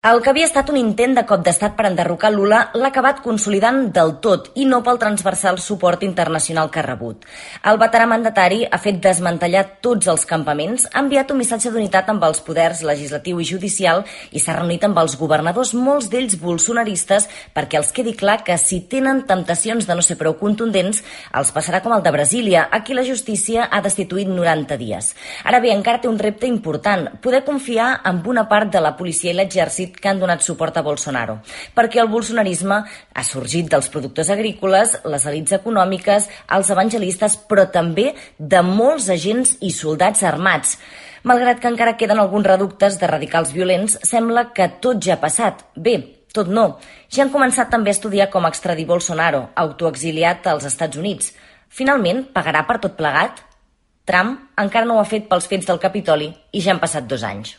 El que havia estat un intent de cop d'estat per enderrocar Lula l'ha acabat consolidant del tot i no pel transversal suport internacional que ha rebut. El veterà mandatari ha fet desmantellar tots els campaments, ha enviat un missatge d'unitat amb els poders legislatiu i judicial i s'ha reunit amb els governadors, molts d'ells bolsonaristes, perquè els quedi clar que si tenen temptacions de no ser prou contundents, els passarà com el de Brasília, a qui la justícia ha destituït 90 dies. Ara bé, encara té un repte important, poder confiar en una part de la policia i l'exèrcit que han donat suport a Bolsonaro, perquè el bolsonarisme ha sorgit dels productors agrícoles, les elits econòmiques, els evangelistes, però també de molts agents i soldats armats. Malgrat que encara queden alguns reductes de radicals violents, sembla que tot ja ha passat. Bé, tot no. Ja han començat també a estudiar com extradir Bolsonaro, autoexiliat als Estats Units. Finalment, pagarà per tot plegat? Trump encara no ho ha fet pels fets del Capitoli i ja han passat 2 anys.